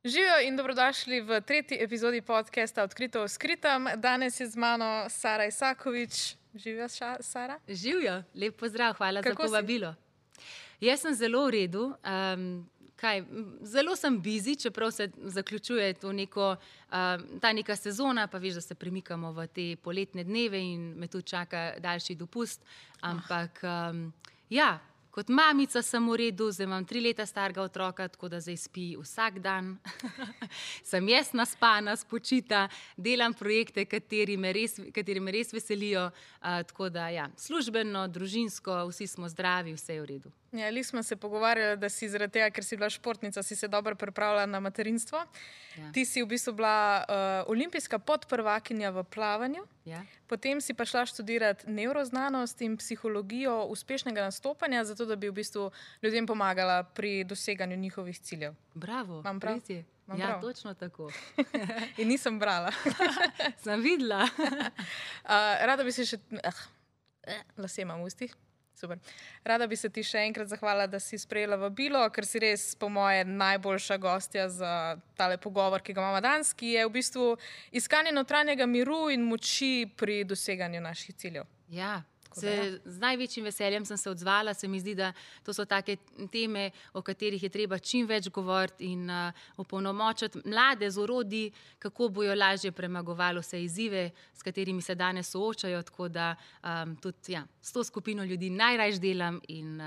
Živijo in dobrodošli v tretji epizodi podcasta Odkrito o skritem. Danes je z mano Sara Isakovič. Živijo, Sara? Živijo, lep pozdrav, hvala Kako za povabilo. Jaz sem zelo v redu. Zelo sem busy, čeprav se zaključuje to ta neka sezona, pa veš, da se premikamo v te poletne dneve in me tu čaka daljši dopust. Ampak ja, kot mamica sem v redu, zdaj imam 3 leta starega otroka, tako da zdaj spi vsak dan. Sem jaz naspana, spočita, delam projekte, kateri me res veselijo. Tako da ja, službeno, družinsko, vsi smo zdravi, vse je v redu. Ja, li smo se pogovarjali, da si zaradi tega, ker si bila športnica, si se dobro pripravila na materinstvo. Ja. Ti si v bistvu bila olimpijska podprvakinja v plavanju. Ja. Potem si pa šla študirati nevroznanost in psihologijo uspešnega nastopanja, zato da bi v bistvu ljudem pomagala pri doseganju njihovih ciljev. Bravo, Imam prav? res je. Imam Ja, prav? točno tako. In nisem brala. Sem videla. Rada bi se še... lase imam v ustih. Super. Rada bi se ti še enkrat zahvalila, da si sprejela vabilo, ker si res, po moje, najboljša gostja za tale pogovor, ki ga imamo danes, ki je v bistvu iskanje notranjega miru in moči pri doseganju naših ciljev. Ja, z največjim veseljem sem se odzvala. Se mi zdi, da to so take teme, o katerih je treba čim več govoriti in opolnomočiti mlade z orodji, kako bojo lažje premagovali vse izzive, s katerimi se danes soočajo. Tako da tudi s to skupino ljudi najrajš delam in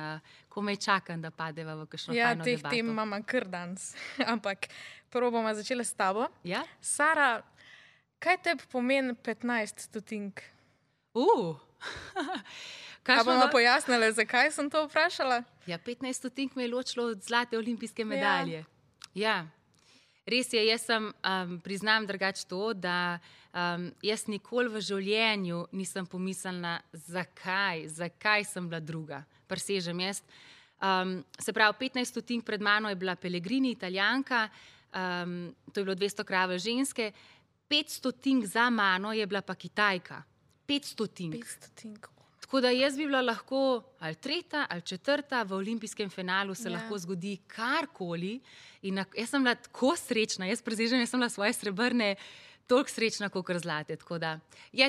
komaj čakam, da padeva v kakšno fajno debato. Ja, teh tem imamo kar danes. Ampak prvo bomo začela s tabo. Ja? Sara, kaj tebi pomeni 15 stotink? A bomo pojasnili, zakaj sem to vprašala? Ja, 15 stotink me je ločilo od zlate olimpijske medalje. Ja. Res je, jaz sem, priznam drugače to, da jaz nikoli v življenju nisem pomislila, zakaj sem bila druga. Presežem jaz. Se pravi, 15 stotink pred mano je bila Pellegrini, Italijanka, to je bilo 200 krave ženske, 5 stotink za mano je bila pa Kitajka. 5 stotink. 5 stotink. Tako da jaz bi bila lahko ali 3. ali 4. v olimpijskem finalu, se Ja. lahko zgodi karkoli. In jaz sem bila tako srečna, jaz presežem, jaz sem bila svoje srebrne toliko srečna, kot zlate. Tako da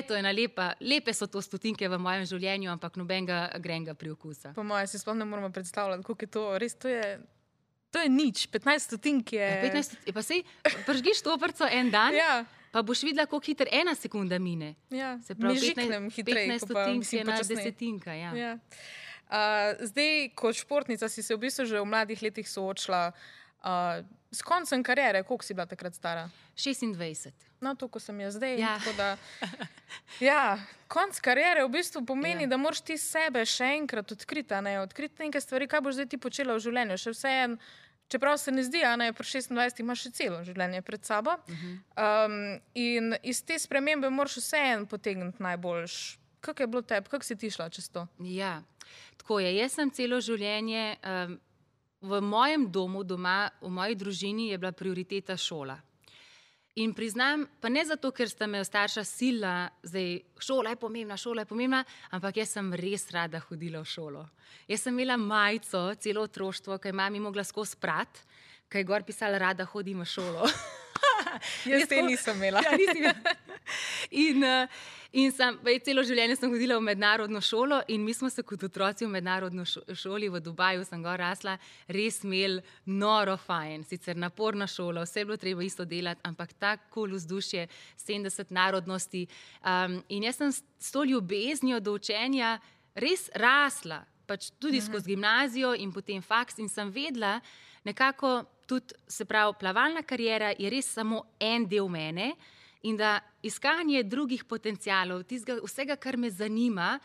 to ena lepe so to stotinke v mojem življenju, ampak nobenega grenga priokusa. Po moje si sploh ne moramo predstavljati, koliko je to. Res, to je nič. 15 stotink je... 15 pa sej, pržgiš toprco en dan, Ja. pa boš videla, koliko hiter 1 sekunda mine. Ja, Se pravi, žiknem hitreje, 15 ko pa stotink mislim je ena počasneje. desetinka. Ja. Ja. Zdaj, kot športnica, si se v bistvu že v mladih letih soočila s koncem kariere. Koliko si bila takrat stara? 26. No, to, ko sem jaz zdaj. Ja. Tako da, ja, konc kariere v bistvu pomeni, Ja. da moraš ti sebe še enkrat odkriti, odkriti neke stvari, kaj boš zdaj ti počela v življenju. Še vseeno, čeprav se ne zdi, pri 26 imaš še celo življenje pred sabo. In iz te spremembe moraš vseeno potegniti najboljš. Kako je bilo tebi, kako si ti šla čez to? Ja, tako je. Jaz sem celo življenje v mojem domu, doma, v moji družini je bila prioriteta šola. In priznam, pa ne zato, ker sta me starša silila, zdaj šola je pomembna, ampak jaz sem res rada hodila v šolo. Jaz sem imela majico, celo otroštvo, ki je mami mogla skozi prat, ki je gor pisala, rada hodim v šolo. Jaz te nisem imela. Ja, nisi imela. In celo življenje sem hodila v mednarodno šolo in mi smo se kot otroci v mednarodno šoli v Dubaju, sem gor rasla, res imeli noro fajn. Sicer naporna šola, vse je bilo treba isto delati, ampak tako vzdušje, 70 narodnosti. In jaz sem s to ljubeznijo do učenja res rasla, pač tudi skozi gimnazijo in potem faks in sem vedela nekako tudi, se pravi, plavalna kariera je res samo en del mene, in da iskanje drugih potencialov, vsega, kar me zanima,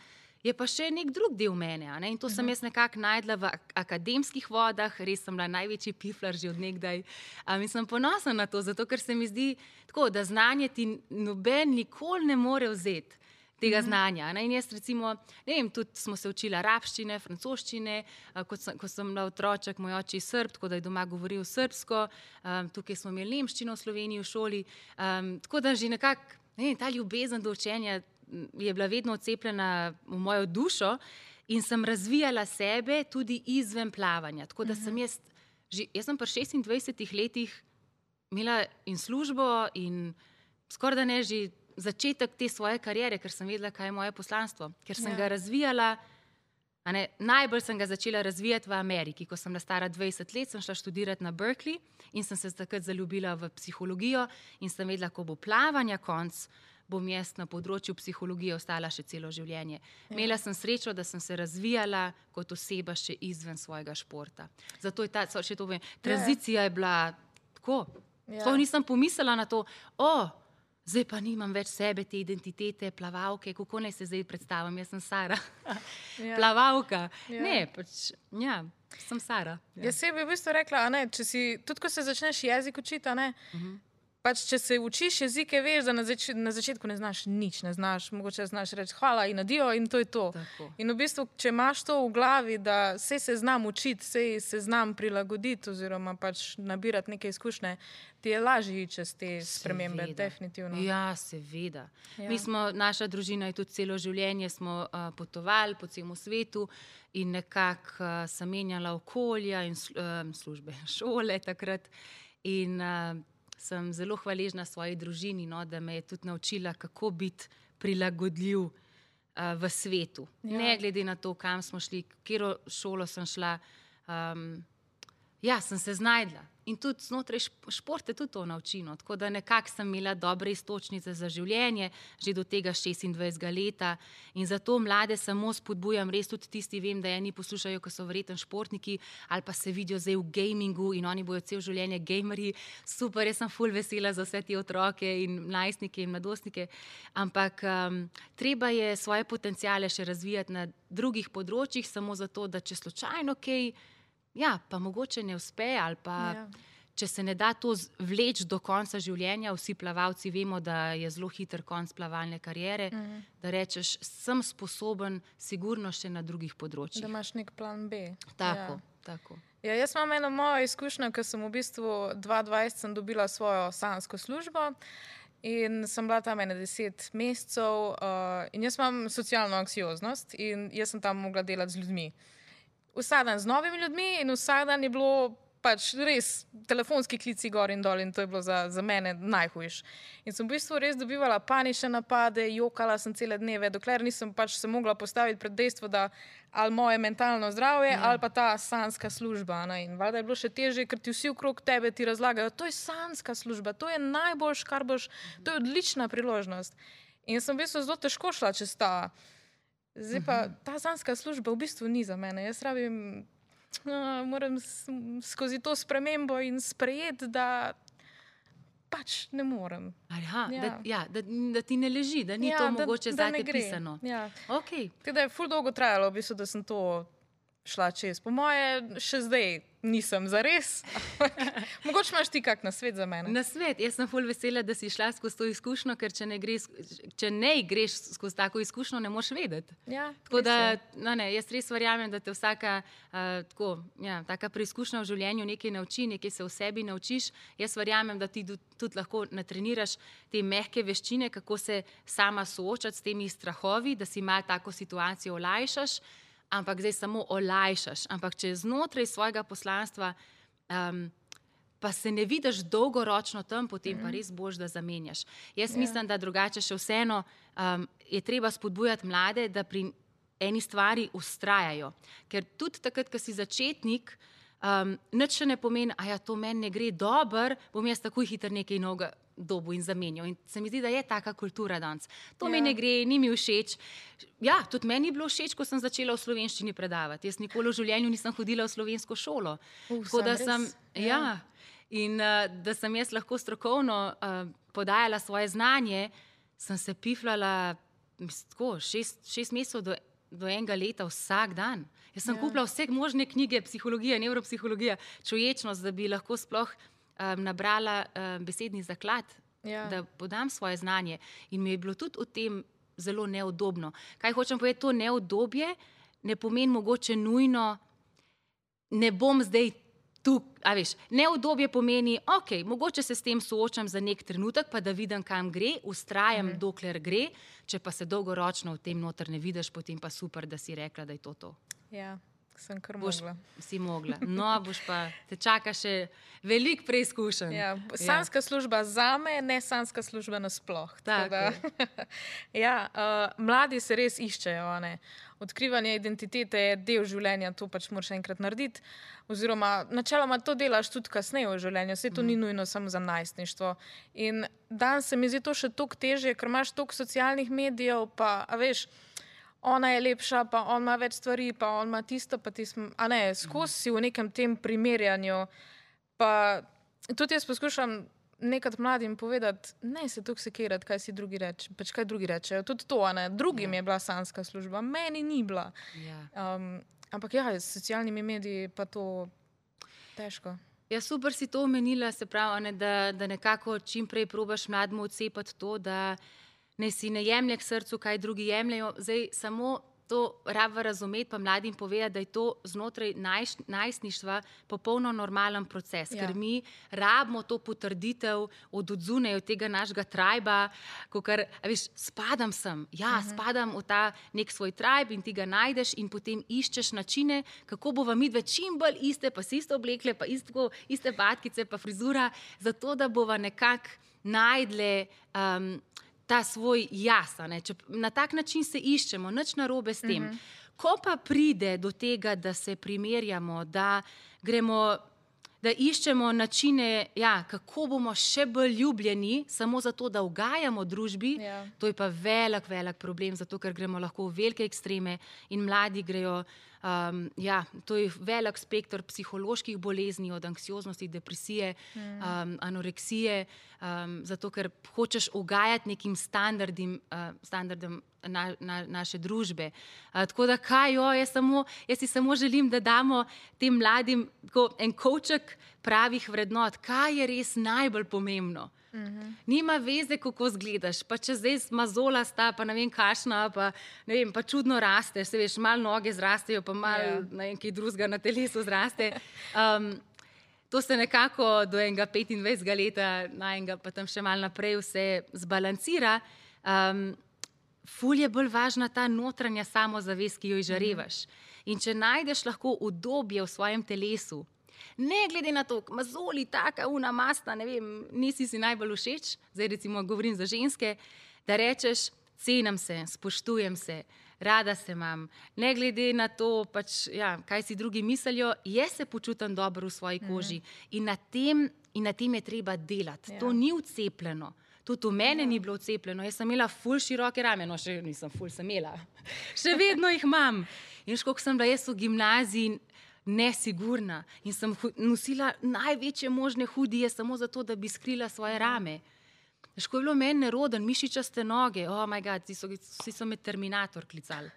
je pa še nek drug del mene. In to sem jaz nekako najdla v akademskih vodah, res sem bila največji piflar že od nekdaj. In sem ponosna na to, zato ker se mi zdi tako, da znanje ti noben nikoli ne more vzeti tega znanja. In jaz recimo, ne vem, tudi smo se učili arabščine, francoščine, ko sem bila otroček, moj oče je Srb, tako da je doma govoril srbsko, tukaj smo imeli nemščino v Sloveniji v šoli, tako da že nekako, ta ljubezen do učenja je bila vedno odcepljena v mojo dušo in sem razvijala sebe tudi izven plavanja. Tako da sem jaz sem pri 26 letih imela in službo in skoraj da ne že začetek te svoje kariere, ker sem vedela, kaj je moje poslanstvo, ker sem ga razvijala. Najbolj sem ga začela razvijati v Ameriki. Ko sem bila stara 20 let, sem šla študirati na Berkeley in sem se takrat zaljubila v psihologijo in sem vedela, ko bo plavanja konc, bom jaz na področju psihologije ostala še celo življenje. Imela sem srečo, da sem se razvijala kot oseba še izven svojega športa. Zato je tranzicija je bila tako. Sploh nisem pomislila na to, zdaj pa nimam več sebe, te identitete, plavalke, kako naj se zdaj predstavim, jaz sem Sara, plavalka. Ne, pač, sem Sara. Jaz bi v bistvu rekla, če si, tudi ko se začneš jezik učiti, pač če se učiš jezike, veš, da na začetku ne znaš nič, mogoče znaš reči hvala in adijo in to je to. Tako. In v bistvu, če imaš to v glavi, da sej se znam učiti, sej se znam prilagoditi oziroma pač nabirati neke izkušnje, ti je lažje čez te spremembe, definitivno. Ja, seveda. Naša družina je tudi celo življenje smo potovali po celem svetu in nekako sem menjala okolja in službe, šole takrat in sem zelo hvaležna svoji družini, da me je tudi naučila, kako biti prilagodljiv v svetu. Ne glede na to, kam smo šli, katero šolo sem šla, sem se znajdla. In tudi znotraj športa tudi to naučino. Tako da nekako sem imela dobre iztočnice za življenje, že do tega 26 leta. In zato mlade samo spodbujam, res tudi tisti, vem, da eni poslušajo, ko so verjetno športniki, ali pa se vidijo zdaj v gamingu in oni bojo cel življenje gamerji. Super, jaz sem ful vesela za vse te otroke in mladostnike in mladostnike. Ampak treba je svoje potenciale še razvijati na drugih področjih, samo zato, da če slučajno kaj pa mogoče ne uspe ali pa če se ne da to vleči do konca življenja, vsi plavalci vemo, da je zelo hiter konc plavalne kariere, da rečeš, sem sposoben sigurno še na drugih področjih. Da imaš nek plan B. Tako. Ja, jaz imam eno mojo izkušnjo, ker sem v bistvu 2020 sem dobila svojo sanjsko službo in sem bila tam 10 mesecev in jaz imam socialno anksioznost in jaz sem tam mogla delati z ljudmi. Vsak dan z novimi ljudmi in vsak dan je bilo pač res telefonski klici gor in dol in to je bilo za mene najhujš. In sem v bistvu res dobivala panične napade, jokala sem cele dneve, dokler nisem pač se mogla postaviti pred dejstvo, da ali moje mentalno zdravje ali pa ta sanjska služba. In valjda je bilo še težje, ker ti vsi okrog tebe ti razlagajo, to je sanjska služba, to je najboljš, kar boš, to je odlična priložnost. In sem v bistvu zelo težko šla čez ta. Zdaj pa ta sanjska služba v bistvu ni za mene. Jaz moram skozi to spremembo in sprejeti, da pač ne morem. Da ti ne leži, da ni to mogoče zate pisano. Tako da je ful dolgo trajalo, v bistvu, da sem to šla čez. Po moje še zdaj nisem zares. Mogoče imaš ti kak nasvet za mene? Nasvet? Jaz sem ful vesela, da si šla skozi to izkušnjo, ker če ne greš skozi tako izkušnjo, ne moš vedeti. Tako da, jaz res verjamem, da te vsaka taka preizkušnja v življenju nekaj nauči, nekaj se v sebi naučiš. Jaz verjamem, da ti tudi lahko natreniraš te mehke veščine, kako se sama soočati s temi strahovi, da si malo tako situacijo olajšaš. Ampak zdaj samo olajšaš. Ampak če znotraj svojega poslanstva pa se ne vidiš dolgoročno tam, potem pa res boš, da zamenjaš. Jaz mislim, da drugače še vseeno je treba spodbujati mlade, da pri eni stvari vztrajajo. Ker tudi takrat, ko si začetnik, nič še ne pomeni, to meni ne gre dobro, bom jaz takoj hiter nekaj novega dobu in zamenjal. In se mi zdi, da je taka kultura danes. To mi ne gre, ni mi všeč. Tudi meni je bilo všeč, ko sem začela v slovenščini predavati. Jaz nikoli v življenju nisem hodila v slovensko šolo. Tako da sem, in da sem jaz lahko strokovno podajala svoje znanje, sem se pifljala 6 mesecev do enega leta vsak dan. Jaz sem kupila vse možne knjige, psihologija, nevropsihologija, čuječnost, da bi lahko sploh nabrala besedni zaklad, da podam svoje znanje. In mi je bilo tudi v tem zelo neudobno. Kaj hočem povedati, to neudobje ne pomeni mogoče nujno, ne bom zdaj tu, neudobje pomeni, mogoče se s tem soočam za nek trenutek, pa da vidim, kam gre, vztrajam, dokler gre, če pa se dolgoročno v tem noter ne vidiš, potem pa super, da si rekla, da je to. Ja, Sem kar boš, mogla. si mogla. No, boš pa, te čaka še veliko preizkušenj. Ja, sanska služba zame, ne sanska služba nasploh. Tako Ja, mladi se res iščejo. Ne? Odkrivanje identitete je del življenja, to pač moraš enkrat narediti. Oziroma, načeloma to delaš tudi kasneje v življenju, vse to ni nujno samo za najstništvo. In danes se mi zdi to še toliko težje, ker imaš toliko socialnih medijev, pa a veš, ona je lepša, pa on ima več stvari, pa on ima tisto, pa tisto. A ne, skozi si v nekem tem primerjanju. Pa tudi jaz poskušam nekaj mladim povedati, ne se toliko sekirati, kaj si drugi reče, pač kaj drugi rečejo. Tudi to, a ne, drugim je bila sanska služba, meni ni bila. Ampak ja, s socialnimi mediji pa to težko. Ja, super si to omenila, se pravi, ne, da nekako čim prej probaš mlademu odcepati to, da ne si ne jemlje k srcu, kaj drugi jemljajo. Zdaj samo to raba razumeti, pa mladim povedati, da je to znotraj najstništva popolno normalen proces, ker mi rabimo to potrditev od odzune, od tega našega trajba, kakor, veš, spadam sem, spadam v ta nek svoj trajb in ti ga najdeš in potem iščeš načine, kako bova midve čim bolj iste, pa si isto oblekle, pa iste patkice, pa frizura, zato da bova nekako najdle ta svoj jaz. Na tak način se iščemo, nič narobe s tem. Ko pa pride do tega, da se primerjamo, da iščemo načine, kako bomo še bolj ljubljeni, samo zato, da ugajamo družbi, to je pa velik problem, zato ker gremo lahko v velike ekstreme in mladi grejo. To je velik spektr psiholoških bolezni, od anksioznosti, depresije, anoreksije, zato ker hočeš ugajati nekim standardom naše družbe. Tako da jaz si samo želim, da damo tem mladim en kovček pravih vrednot, kaj je res najbolj pomembno. Nima veze, kako izgledaš, pa če zdaj mazolasta, pa ne vem kašna, pa čudno rasteš, se veš, malo noge zrastejo, pa malo kaj drugega na telesu zraste. To se nekako do enega 25 leta, pa tam še malo naprej vse zbalancira. Ful je bolj važna ta notranja samozavest, ki jo izžarevaš. In če najdeš lahko udobje v svojem telesu, ne glede na to, mazoli, taka, mastna, ne vem, nisi si najbolj všeč, zdaj recimo govorim za ženske, da rečeš, cenim se, spoštujem se, rada se imam, ne glede na to, kaj si drugi mislijo, jaz se počutim dobro v svoji koži in na tem je treba delati. To ni vcepljeno. Tudi v mene ni bilo vcepljeno. Jaz sem imela ful široke rame, no še nisem ful, sem imela. Še vedno jih imam. In koliko sem bila jaz v gimnaziji nesigurna in sem nosila največje možne hudije samo zato, da bi skrila svoje rame. Ko je bilo meni neroden, mišičaste noge, oh my god, vsi so me Terminator klicali.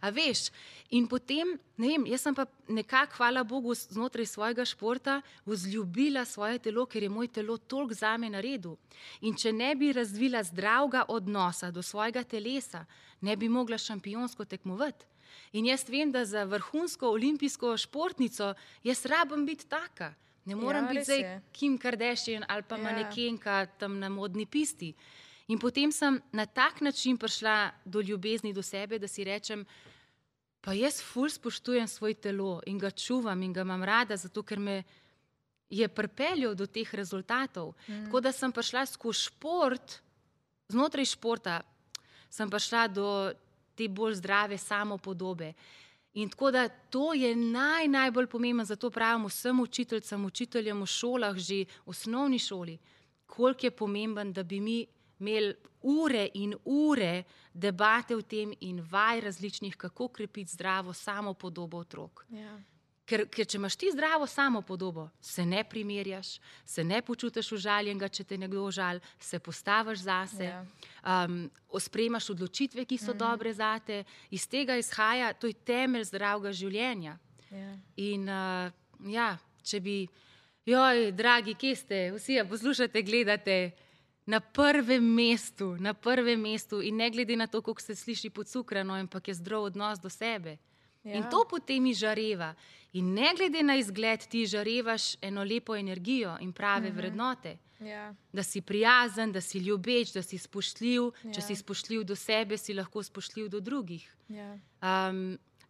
A veš, in potem, ne vem, jaz sem pa nekako, hvala Bogu, znotraj svojega športa vzljubila svoje telo, ker je moj telo toliko zame naredil. In če ne bi razvila zdravega odnosa do svojega telesa, ne bi mogla šampionsko tekmovati. In jaz vem, da za vrhunsko olimpijsko športnico jaz rabim biti taka. Ne morem biti zdaj Kim Kardashian ali pa manekenka tam na modni pisti. In potem sem na tak način prišla do ljubezni do sebe, da si rečem, pa jaz ful spoštujem svoj telo in ga čuvam in ga imam rada, zato ker me je pripeljal do teh rezultatov. Tako da sem prišla skozi šport, znotraj športa sem prišla do te bolj zdrave samopodobe. In tako da to je najbolj pomembno, zato pravim vsem učiteljem v šolah, že v osnovni šoli, koliko je pomemben, da bi mi imeli ure in ure debate o tem in vaj različnih, kako krepiti zdravo samopodobo otrok. Ker če imaš ti zdravo samopodobo, se ne primerjaš, se ne počutiš užaljenega, če te nekdo užali, se postaviš zase, sprejemaš odločitve, ki so dobre zate, iz tega izhaja, to je temelj zdravega življenja. In če bi, dragi, kje ste, vsi poslušate, gledate, na prvem mestu in ne glede na to, kako se sliši podcukrano, ampak je zdrav odnos do sebe. In to potem izžareva. In ne glede na izgled, ti žarevaš eno lepo energijo in prave vrednote. Da si prijazen, da si ljubeč, da si spoštljiv. Če si spoštljiv do sebe, si lahko spoštljiv do drugih.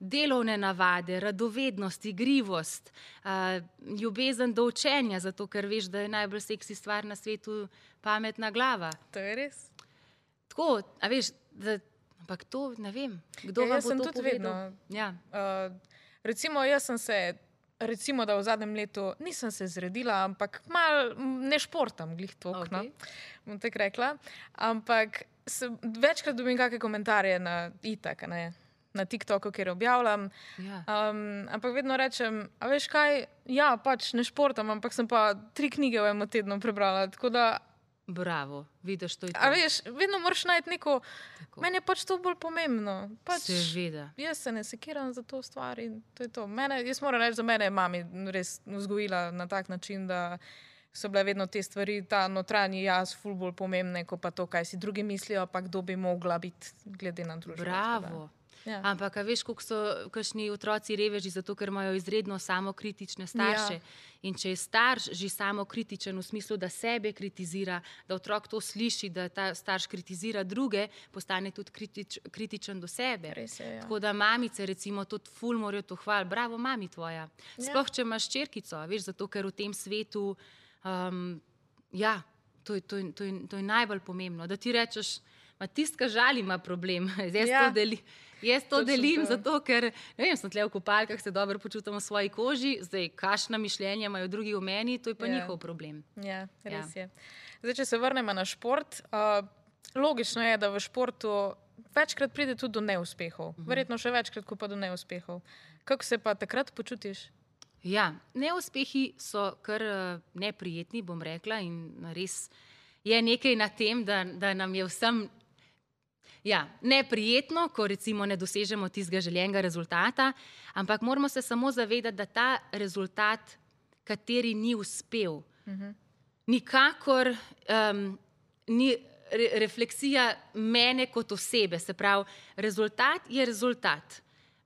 delovne navade, radovednost, igrivost, ljubezen do učenja, zato ker veš, da je najbolj seksi stvar na svetu pametna glava. To je res. Tako, a veš, ampak to ne vem, kdo vam bo to povedal. Ja. Recimo, recimo, da v zadnjem letu nisem se zredila, ampak malo ne športam, glih toliko, Okay. bom tako rekla. Ampak večkrat dobim kakšne komentarje na itak, na TikToku, kjer objavljam. Ja. Ampak vedno rečem, a veš kaj, ja, pač ne športam, ampak sem pa 3 knjige v enem tednu prebrala, tako da Bravo, vidiš, to je to. a veš, vedno moraš najti neko, Tako. meni je pač to bolj pomembno. Pač, Seveda. jaz se ne sekiram za to stvar in to je to. Jaz moram reči, za mene je mami res vzgojila na tak način, da so bile vedno te stvari, ta notranji jaz, ful bolj pomembne, kot pa to, kaj si drugi mislijo, pa kdo bi mogla biti glede na družbo. Bravo. Ja. Ampak, a veš, koliko so kakšni otroci reveži, zato ker imajo izredno samokritične starše. Ja. In če je starš že samokritičen v smislu, da sebe kritizira, da otrok to sliši, da ta starš kritizira druge, postane tudi kritičen do sebe. Res je, ja. Tako da mamice, recimo, tudi ful morajo to hvaliti. Bravo, mami tvoja. Sploh, če imaš hčerkico, veš, zato ker v tem svetu, ja, to je najbolj pomembno, da ti rečeš, tistka žali ima problem. Jaz to delim, zato ker, ne vem, sem tle v kopalkah, se dobro počutim v svoji koži, zdaj, kakšna mišljenja imajo drugi o meni, to je pa njihov problem. Ja, res je. Zdaj, če se vrnemo na šport, logično je, da v športu večkrat pride tudi do neuspehov. Verjetno še večkrat, kot pa do neuspehov. Kako se pa takrat počutiš? Ja, neuspehi so kar neprijetni, bom rekla, in res je nekaj na tem, da nam je vsem neprijetno, ko recimo ne dosežemo tistega željenega rezultata, ampak moramo se samo zavedati, da ta rezultat, kateri ni uspel, nikakor ni refleksija mene kot osebe. Se pravi, rezultat je rezultat.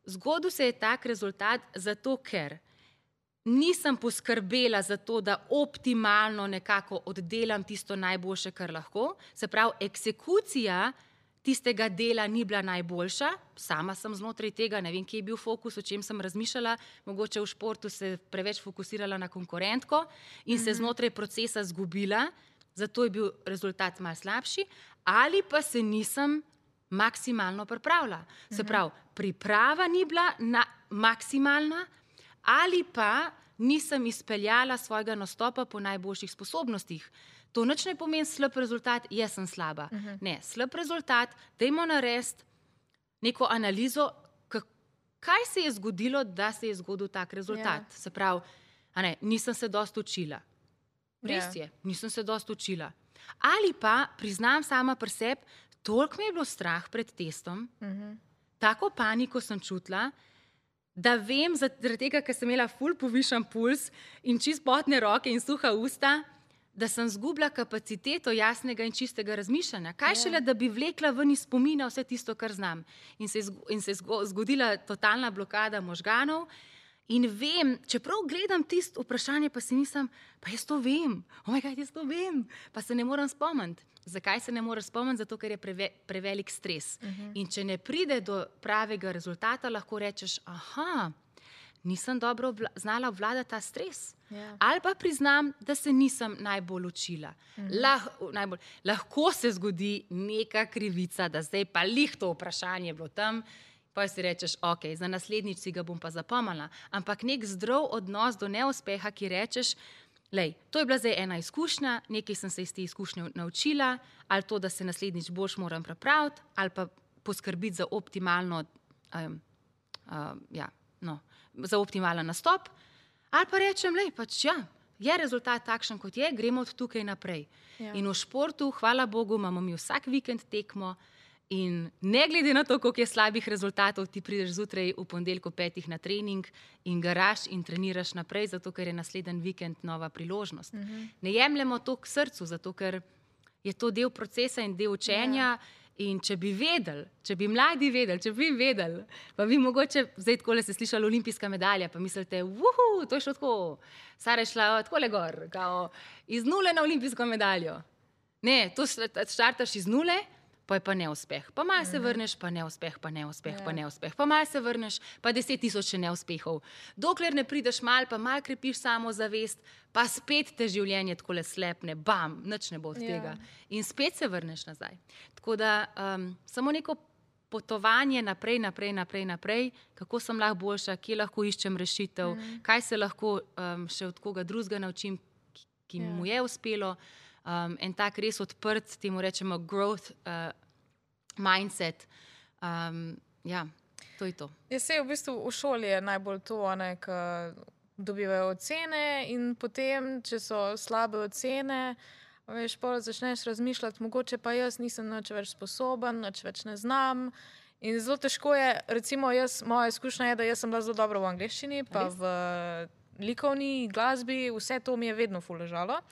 Zgodil se je tak rezultat zato, ker nisem poskrbela za to, da optimalno nekako oddelam tisto najboljše, kar lahko. Se pravi, eksekucija tistega dela ni bila najboljša. Sama sem znotraj tega, ne vem, kje je bil fokus, o čem sem razmišljala. Mogoče v športu se preveč fokusirala na konkurentko in se znotraj procesa zgubila, zato je bil rezultat malo slabši, ali pa se nisem maksimalno pripravila. Se pravi, priprava ni bila maksimalna, ali pa nisem izpeljala svojega nastopa po najboljših sposobnostih. To nič ne pomeni slab rezultat, jaz sem slaba. Ne, slab rezultat, dajmo narediti neko analizo, kaj se je zgodilo, da se je zgodil tak rezultat. Se pravi, nisem se dosti učila. Res je, nisem se dosti učila. Ali pa priznam sama pri sebi, toliko me je bilo strah pred testom, tako paniko sem čutila, da vem, zaradi tega, ker sem imela ful povišan puls in čist potne roke in suha usta, da sem zgubila kapaciteto jasnega in čistega razmišljanja. Kaj šele, da bi vlekla ven iz spomina vse tisto, kar znam. In se je zgodila totalna blokada možganov. In vem, čeprav gledam tisto vprašanje, pa si mislim, pa jaz to vem. Jaz to vem. Pa se ne morem spomniti. Zakaj se ne moreš spomniti? Zato, ker je prevelik stres. In če ne pride do pravega rezultata, lahko rečeš, nisem dobro znala obvladati ta stres. Ali pa priznam, da se nisem najbolj učila. Lahko se zgodi neka krivica, da zdaj pa lih to vprašanje bilo tam, pa si rečeš, ok, za naslednjič si ga bom pa zapomnila. Ampak nek zdrav odnos do neuspeha, ki rečeš, lej, to je bila zdaj ena izkušnja, nekaj sem se iz te izkušnje naučila, ali to, da se naslednjič boljš moram pripraviti, ali pa poskrbiti za optimalno, za optimalen nastop, ali pa rečem, lej, pač je rezultat takšen, kot je, gremo od tukaj naprej. In v športu, hvala Bogu, imamo mi vsak vikend tekmo in ne glede na to, koliko je slabih rezultatov, ti prideš zjutraj v ponedeljek ob 5 na trening in garaš in treniraš naprej, zato ker je naslednji vikend nova priložnost. Ne jemljemo to k srcu, zato ker je to del procesa in del učenja. In če bi vedeli, če bi mladi vedeli, pa vi mogoče, zdaj takole ste slišali olimpijska medalja, pa mislite, to je šlo tako, Sara je šla takole gor, kao iz nule na olimpijsko medaljo. Ne, to štartaš iz nule, pa je pa neuspeh. Pa malo se vrneš, pa neuspeh, pa neuspeh, pa neuspeh. Pa malo se vrneš, pa 10.000 še neuspehov. Dokler ne prideš pa malo krepiš samozavest, pa spet te življenje takole slepne, bam, nič ne bo od tega. In spet se vrneš nazaj. Tako da samo neko potovanje naprej, kako sem lahko boljša, kje lahko iščem rešitev, kaj se lahko še od koga drugega naučim, ki mu je uspelo. En tak res odprt, temu rečemo growth mindset. To je to. V bistvu v šoli je najbolj to, ko dobivajo ocene in potem, če so slabe ocene, veš, pol začneš razmišljati, mogoče pa jaz nisem nič več sposoben, nič več ne znam. In zelo težko je, recimo moja izkušnja je, da jaz sem bila zelo dobra v angleščini, pa v likovni glasbi, vse to mi je vedno ful ležalo.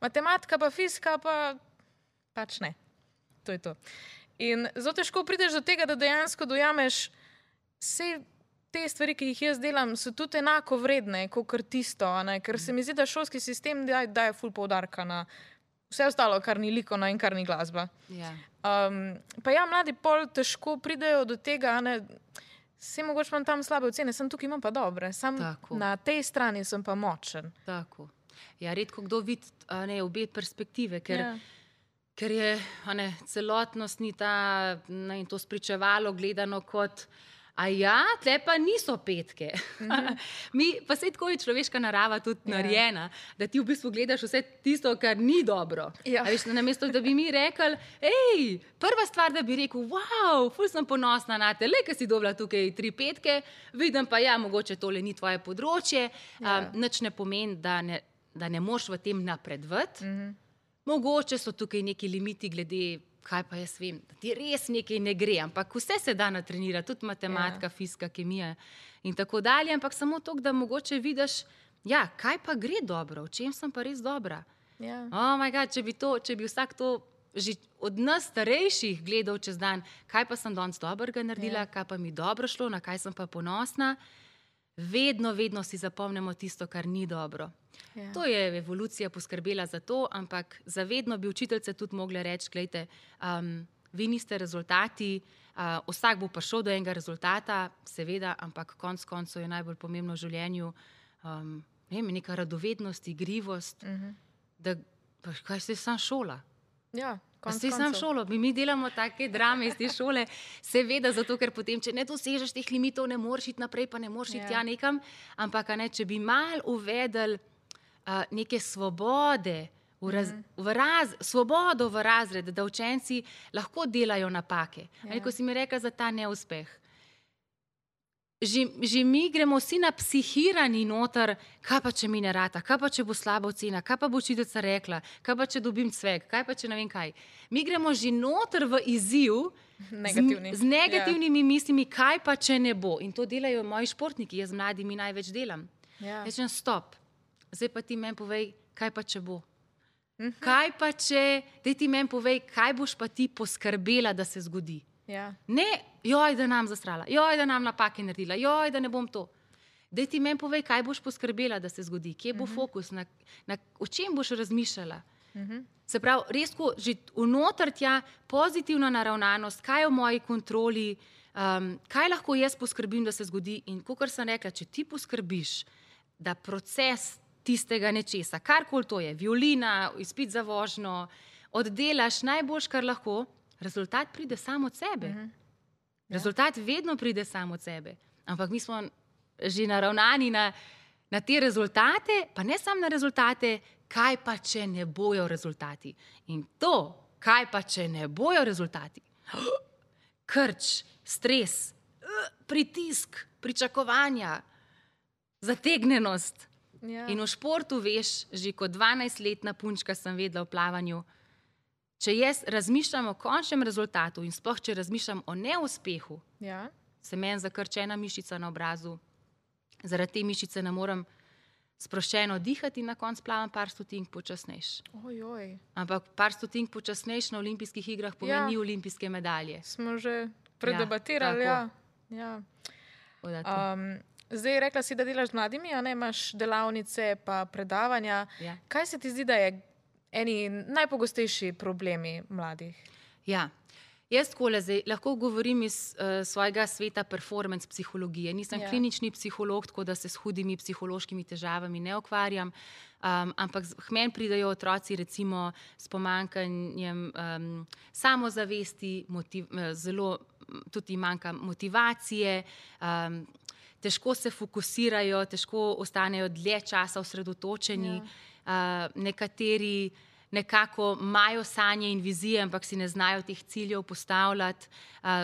Matematika pa fizika pa pač ne. To je to. In zelo težko prideš do tega, da dejansko dojameš vse te stvari, ki jih jaz delam, so tudi enako vredne, kot tisto, ker se mi zdi, da šolski sistem daje ful poudarka na vse ostalo, kar ni likovna in kar ni glasba. Pa mladi pol težko pridejo do tega, vse mogoče imam tam slabe ocene, sem tukaj imam pa dobre, na tej strani sem pa močen. Tako. Redko kdo vidi obe perspektive, ker je celotnost ni ta, in to spričevalo gledano kot tle pa niso petke. Pa saj tako je človeška narava tudi narejena, da ti v bistvu gledaš vse tisto, kar ni dobro. Veš, namesto, da bi mi rekli, prva stvar, da bi rekel, wow, ful sem ponosna na te, ker si dobila tukaj 3 petke, vidim pa, mogoče tole ni tvoje področje, nič ne pomeni, da ne moš v tem napredovati. Mogoče so tukaj neki limiti glede, kaj pa jaz vem, da ti res nekaj ne gre, ampak vse se da natrenirati, tudi matematika, fizika, kemija in tako dalje, ampak samo to, da mogoče vidiš, kaj pa gre dobro, v čem sem pa res dobra. Oh my God, če bi vsak to že od nas starejših gledal čez dan, kaj pa sem danes dobrega naredila, kaj pa mi dobro šlo, na kaj sem pa ponosna, vedno si zapomnimo tisto, kar ni dobro. To je evolucija poskrbela za to, ampak zavedno bi učiteljice tudi mogle reči, glejte, vi niste rezultati, vsak bo prišel do enega rezultata, seveda, ampak konec koncev je najbolj pomembno v življenju neka radovednost, igrivost, da kaj se sam šola. Ste sam šolo, mi delamo take drame iz te šole, seveda zato, ker potem, če ne dosežeš teh limitov, ne moreš iti naprej, pa ne moreš iti nekam, ampak če bi malo uvedli neke svobode, svobodo v razred, da učenci lahko delajo napake. Ko si mi rekla za ta neuspeh, že mi gremo vsi napsihirani noter, kaj pa če mi ne rata, kaj pa če bo slaba ocena, kaj pa bo učiteljica rekla, kaj pa če dobim cvek, kaj pa če ne vem kaj. Mi gremo že noter v izziv z negativnimi mislimi, kaj pa če ne bo. In to delajo moji športniki, jaz z mladimi največ delam. Rečem, stop, zdaj pa ti meni povej, kaj pa če bo. Kaj pa če, daj ti meni povej, kaj boš pa ti poskrbela, da se zgodi. Ne, da nam zastrala, da nam napake naredila, da ne bom to. Daj ti meni povej, kaj boš poskrbela, da se zgodi, kje bo fokus, o čem boš razmišljala. Se pravi, res, ko že vnoter tja pozitivna naravnanost, kaj je v moji kontroli, kaj lahko jaz poskrbim, da se zgodi. In kakor sem rekla, če ti poskrbiš, da proces tistega nečesa, karkoli to je, violina, izpit za vožnjo, oddelaš najboljš, kar lahko, rezultat pride sam od sebe. Rezultat vedno pride sam od sebe. Ampak mi smo že naravnani na te rezultate, pa ne samo na rezultate, kaj pa če ne bojo rezultati. In to, kaj pa če ne bojo rezultati, krč, stres, pritisk, pričakovanja, zategnenost. In v športu veš, že kot 12-letna punčka sem vedela v plavanju, če jaz razmišljam o končnem rezultatu in sploh, če razmišljam o neuspehu, se meni zakrči ena mišica na obrazu, zaradi te mišice ne morem sproščeno dihati in na koncu plavam par stotink počasnejš. Ampak par stotink počasnejš na olimpijskih igrah pomeni olimpijske medalje. Smo že predebatirali, Zdaj, rekla si, da delaš z mladimi, imaš delavnice pa predavanja. Kaj se ti zdi, da je eni najpogostejši problemi mladih? Jaz takole zdaj lahko govorim iz svojega sveta performance psihologije. Nisem klinični psiholog, tako da se s hudimi psihološkimi težavami ne ukvarjam, ampak k meni pridejo otroci recimo s pomanjkanjem samozavesti, zelo tudi manjka motivacije, težko se fokusirajo, težko ostanejo dlje časa osredotočeni, nekateri nekako imajo sanje in vizije, ampak si ne znajo teh ciljev postavljati,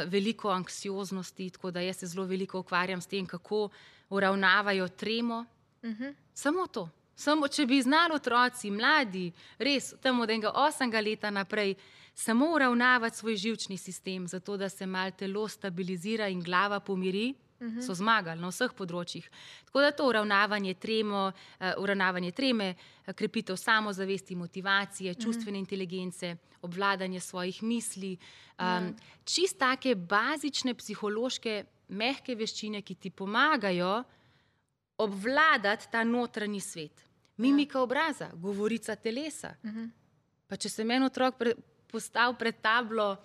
veliko anksioznosti, tako da jaz se zelo veliko ukvarjam s tem, kako uravnavajo tremo. Samo to. Samo, če bi znali otroci, mladi, res tam od enega 8. leta naprej, samo uravnavati svoj živčni sistem, zato da se malo telo stabilizira in glava pomiri, so zmagali na vseh področjih. Tako da to uravnavanje treme, krepitev samozavesti, motivacije, čustvene inteligence, obvladanje svojih misli, čist take bazične psihološke mehke veščine, ki ti pomagajo obvladati ta notranji svet. Mimika obraza, govorica telesa. Pa če se meni otrok postavi pred tablo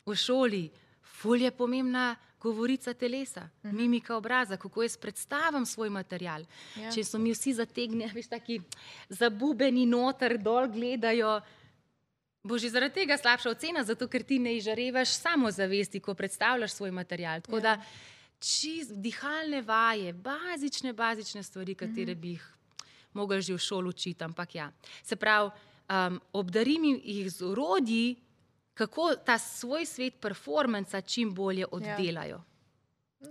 v šoli, ful je pomembna govorica telesa, mimika obraza, kako jaz predstavim svoj material. Če so mi vsi zategnjeni, veš, taki zabubeni noter, dol gledajo, bo že zaradi tega slabša ocena, zato ker ti ne izžarevaš samozavesti, ko predstavljaš svoj material. Tako da čist dihalne vaje, bazične stvari, katere bi jih mogli že v šoli učiti, ampak ja. Se pravi, obdarim jih z orodji, kako ta svoj svet performansa čim bolje oddelajo.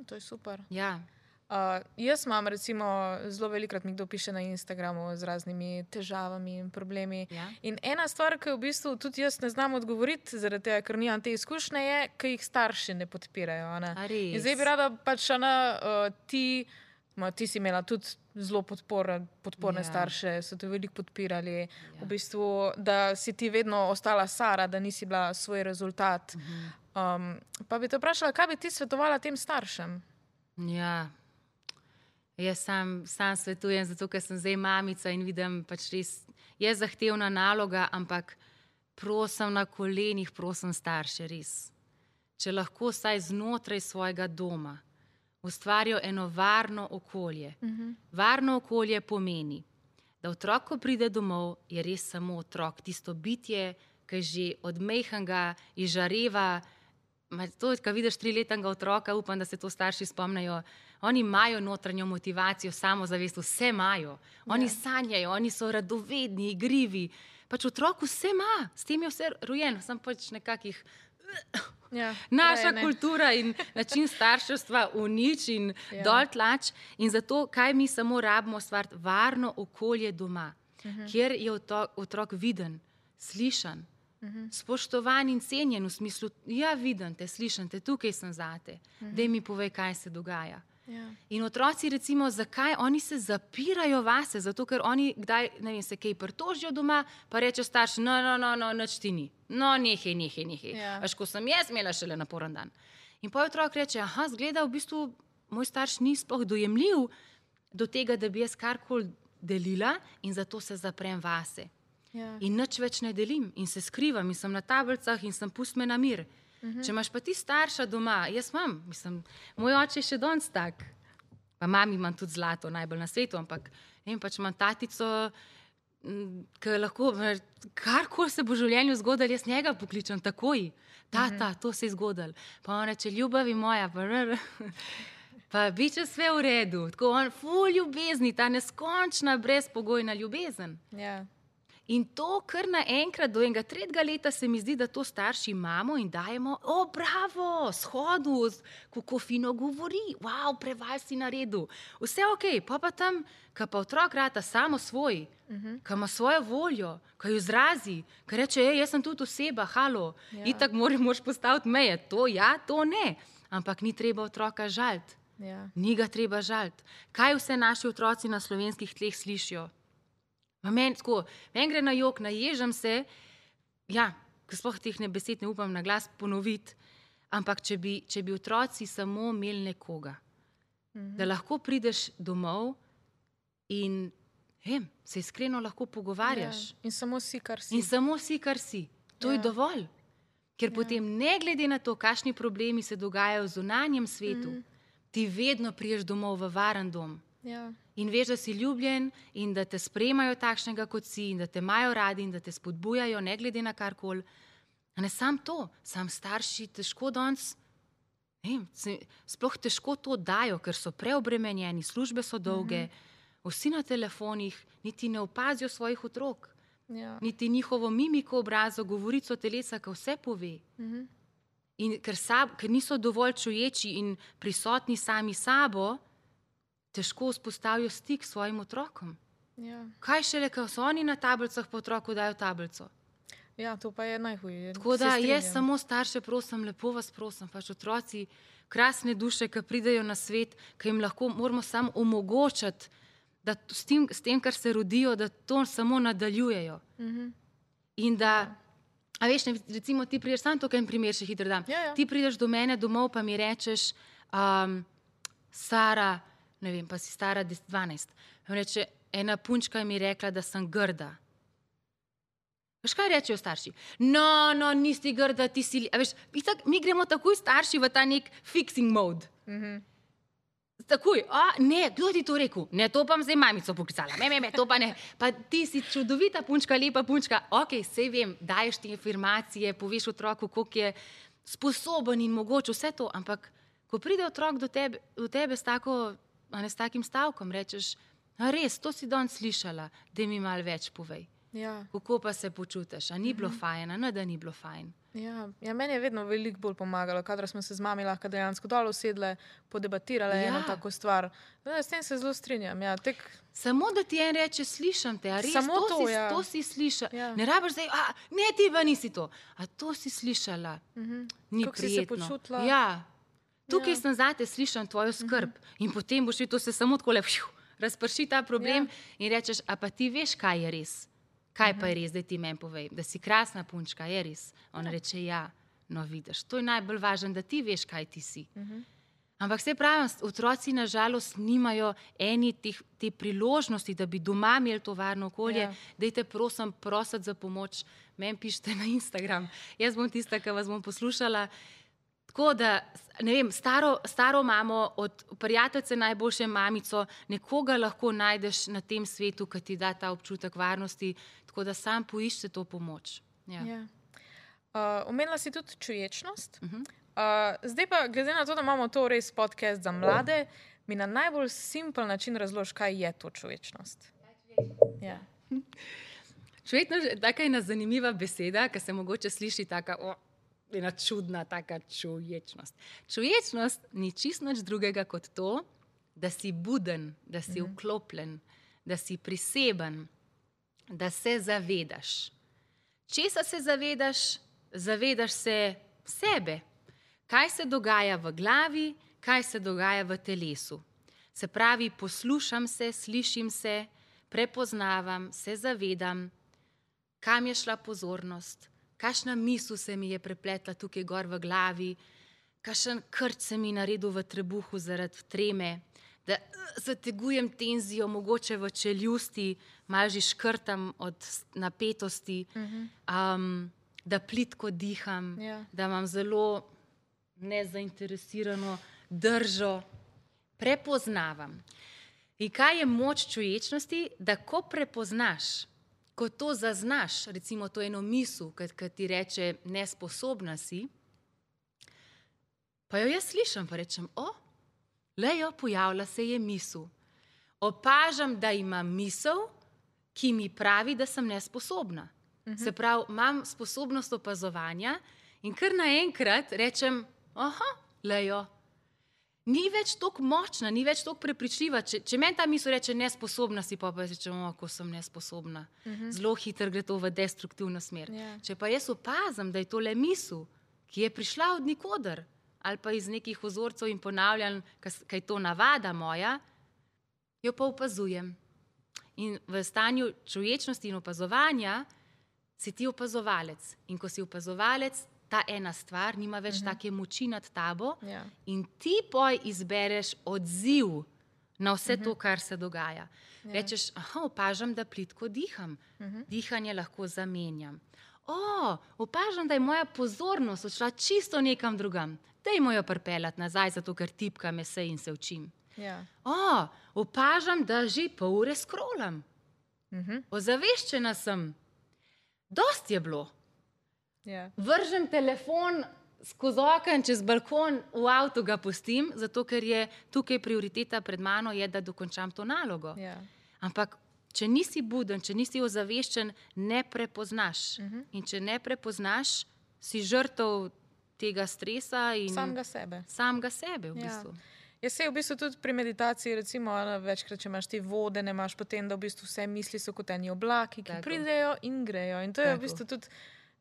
To je super. Ja. Jaz imam recimo, zelo velikrat mi kdo piše na Instagramu z raznimi težavami in problemi. In ena stvar, ki v bistvu tudi jaz ne znam odgovoriti, zaradi tega, ker nimam te izkušnje, je, ki jih starši ne podpirajo. In zdaj bi rada pač, ti si imela tudi zelo podporne starše, so te veliko podpirali, v bistvu, da si ti vedno ostala Sara, da nisi bila svoj rezultat. Pa bi te vprašala, kaj bi ti svetovala tem staršem? Ja, jaz sam svetujem, zato ker sem zdaj mamica in vidim, pač res je zahtevna naloga, ampak prosim na kolenih, prosim starše, res. Če lahko vsaj znotraj svojega doma ustvarijo eno varno okolje. Varno okolje pomeni, da otrok, ko pride domov, je res samo otrok, tisto bitje, ki že od majhnega izžareva. To, ko vidiš 3-letnega otroka, upam, da se to starši spomnijo, oni imajo notranjo motivacijo, samozavest, vse imajo. Oni sanjajo, oni so radovedni, igrivi. Pač otrok vse ima, s tem je vse rojen, sem pač nekakih... Naša kultura in način starševstva unič in dol tlač. In zato, kaj mi samo rabimo stvariti? Varno okolje doma, kjer je otrok viden, slišan, spoštovan in cenjen v smislu, ja, vidim te, slišam te, tukaj sem zate, daj mi povej, kaj se dogaja. In otroci recimo, zakaj oni se zapirajo vase, zato ker oni kdaj, ne vem, se kaj pritožijo doma, pa reče starš, no, nič ti ni, no, nehej. Až ko sem jaz imela šele naporen dan. In pa otrok reče, zgleda, v bistvu moj starš ni sploh dojemljiv do tega, da bi jaz karkoli delila in zato se zaprem vase. In nič več ne delim in se skrivam in sem na tablicah in sem pust me na mir. Če imaš pa ti starša doma, jaz imam, moj oče je še danes tak, pa mami imam tudi zlato, najbolj na svetu, ampak pač imam tatico, ki lahko, karkoli se bo v življenju zgodilo, jaz njega pokličem takoj. Tata, to se je zgodilo. Pa on reče, ljubavi moja, pa biče vse v redu. Tako on, ful ljubezni, ta neskončna, brezpogojna ljubezen. In to kar naenkrat do enega 3. leta se mi zdi, da to starši imamo in dajemo, bravo, shodu, kako fino govori, wow, prevaj si naredil. Vse okej, pa tam, ko pa otrok rata samo svoj, ko ima svojo voljo, ko jo izrazi, ko reče, jaz sem tudi oseba, halo, itak moraš postaviti meje, to ja, to ne, ampak ni treba otroka žaliti, ni ga treba žaliti. Kaj vse naši otroci na slovenskih tleh slišijo? Meni gre na jok, naježam se, ko sploh teh besed ne upam na glas ponoviti, ampak če bi otroci samo imeli nekoga, da lahko prideš domov in se iskreno lahko pogovarjaš. In samo si, kar si. In samo si, kar si. To je dovolj. Ker potem ne glede na to, kakšni problemi se dogajajo v zunanjem svetu, ti vedno priješ domov v varen dom. Ja. In veš, da si ljubljen in da te sprejemajo takšnega, kot si, in da te imajo radi in da te spodbujajo, ne glede na karkoli. A ne sam to, sam starši težko danes, sploh težko to dajo, ker so preobremenjeni, službe so dolge, vsi na telefonih, niti ne opazijo svojih otrok, niti njihovo mimiko obraza, govorico telesa, ki vse pove. In ker niso dovolj čuječi in prisotni sami sabo, težko vzpostavijo stik s svojim otrokom. Ja. Kaj šele, ko so oni na tablicah, po otroku dajo tablico. Ja, to pa je najhuje. Tako da jaz samo starše prosim, lepo vas prosim, pač otroci, krasne duše, ki pridejo na svet, ki jim lahko moramo samo omogočiti, da s tem, kar se rodijo, da to samo nadaljujejo. In da, a veš, recimo ti prideš, samo tukaj en primer še hitro dam, ti prideš do mene domov, pa mi rečeš, Sara, ne vem, pa si stara 12, reče, ena punčka mi je rekla, da sem grda. Veš, kaj rečejo starši? No, nisi grda, ti si... A veš, mi gremo takoj starši v ta nek fixing mode. Takoj, ne, kdo ti to rekel? Ne, to pa zdaj mamico poklicala. To pa ne. Pa ti si čudovita punčka, lepa punčka. Ok, sej vem, daješ ti afirmacije, poveš otroku, koliko je sposoben in mogoče vse to, ampak ko pride otrok do tebe s takim stavkom, rečeš, res, to si danes slišala, da mi malo več povej. Ja. Kako pa se počutiš? A ni bilo fajn, a ne da ni bilo fajn? Ja, meni je vedno veliko bolj pomagalo, kadar smo se z mami lahko dejansko dol usedle, podebatirale eno tako stvar. S tem se zelo strinjam. Ja, samo da ti en reče, slišam te, a res, samo to si slišala. Ja. Ne rabiš zdaj, ne, ti pa nisi to. A to si slišala. Ni kako si se počutila? Ja. Tukaj sem zate, slišam tvojo skrb. In potem boš to se samo tako razprši ta problem in rečeš, a pa ti veš, kaj je res? Kaj pa je res, da ti meni povej? Da si krasna punčka, je res? On reče, ja, no vidiš, to je najbolj važno, da ti veš, kaj ti si. Ampak se pravim, otroci nažalost nimajo te priložnosti, da bi doma imeli to varno okolje. Dajte prosim prositi za pomoč, meni pišite na Instagram. Jaz bom tista, ki vas bom poslušala. Tako da, ne vem, staro mamo, od prijateljice najboljše mamico, nekoga lahko najdeš na tem svetu, ki ti da ta občutek varnosti, tako da sam poišče to pomoč. Omenila si tudi čuječnost. Zdaj pa, glede na to, da imamo to res podcast za mlade, mi na najbolj simpel način razloži, kaj je to čuječnost. Čuječnost je taka ena zanimiva beseda, ki se mogoče sliši taka... ena čudna taka čuječnost. Čuječnost ni čisto nič drugega kot to, da si buden, da si vklopljen, da si priseben, da se zavedaš. Česa se zavedaš? Zavedaš se sebe. Kaj se dogaja v glavi, kaj se dogaja v telesu. Se pravi, poslušam se, slišim se, prepoznavam, se zavedam, kam je šla pozornost, kakšna misel se mi je prepletla tukaj gor v glavi, kakšen krč se mi naredil v trebuhu zaradi treme, da zategujem tenzijo mogoče v čeljusti, malo že škrtam od napetosti, da plitko diham, da imam zelo nezainteresirano držo, prepoznavam. In kaj je moč čuječnosti? Da ko prepoznaš, ko to zaznaš, recimo to eno misel, ki ti reče, nesposobna si, pa jo jaz slišam, pa rečem, lejo, pojavlja se je misel. Opažam, da imam misel, ki mi pravi, da sem nesposobna. Se pravi, imam sposobnost opazovanja in kar naenkrat rečem, lejo, ni več toliko močna, ni več toliko prepričljiva. Če meni ta misel reče, nesposobna si, pa rečem, ko sem nesposobna. Zelo hitro gre to v destruktivno smer. Če pa jaz opazam, da je to le misel, ki je prišla od nikoder, ali pa iz nekih vzorcev in ponavljanj, kaj je to navada moja, jo pa opazujem. In v stanju čuječnosti in opazovanja si ti opazovalec. In ko si opazovalec, ta ena stvar nima več take moči nad tabo in ti poj izbereš odziv na vse to, kar se dogaja. Rečeš, opažam, da plitko diham. Dihanje lahko zamenjam. Opažam, da je moja pozornost odšla čisto nekam drugam. Dajmo jo pripeljati nazaj, zato ker tipkam esej in se učim. Ja. Opažam, da že pol ure scrollam. Ozaveščena sem. Dost je bilo. Ja. Vržem telefon skozi okno, čez balkon, v avtu ga pustim, zato ker je tukaj prioriteta pred mano, je, da dokončam to nalogo. Ja. Ampak če nisi buden, če nisi ozaveščen, ne prepoznaš. In če ne prepoznaš, si žrtev tega stresa in samega sebe v bistvu. Jaz se v bistvu tudi pri meditaciji, recimo, večkrat, če imaš te vode, ne imaš potem, da v bistvu vse misli so kot eni oblaki, ki pridejo in grejo. In to je v bistvu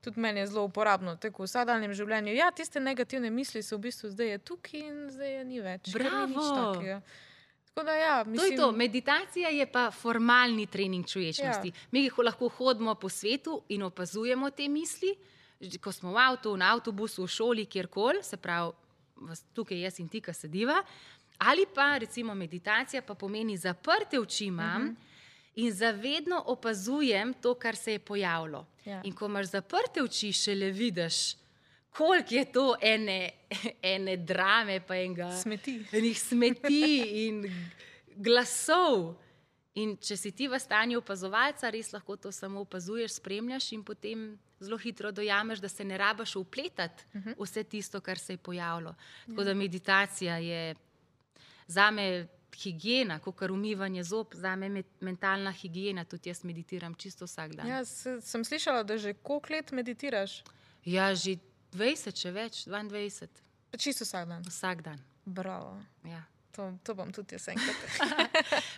tudi meni je zelo uporabno, tako v vsakdanjem življenju. Ja, tiste negativne misli so v bistvu zdaj je tukaj in zdaj je ni več. Bravo! Tako da ja, mislim... To je to. Meditacija je pa formalni trening človečnosti. Ja. Mi lahko hodimo po svetu in opazujemo te misli, ko smo v avtu, na avtobusu, v šoli, kjerkoli, se pravi, tukaj jaz in ti, ki sediva, ali pa recimo meditacija pa pomeni zaprte oči imam in zavedno opazujem to, kar se je pojavilo. Ja. In ko imaš zaprte oči, šele vidiš, koliko je to ene drame, pa enih smeti in glasov. In če si ti v stanju opazovalca, res lahko to samo opazuješ, spremljaš in potem zelo hitro dojameš, da se ne rabiš vpletati vse tisto, kar se je pojavilo. Tako da meditacija je zame higiena, kakor umivanje zob, zame mentalna higiena, tudi jaz meditiram čisto vsak dan. Ja, sem slišala, da že koliko let meditiraš? Ja, že 20, če več, 22. Čisto vsak dan? Vsak dan. Bravo. Ja. To bom tudi jaz enkrat.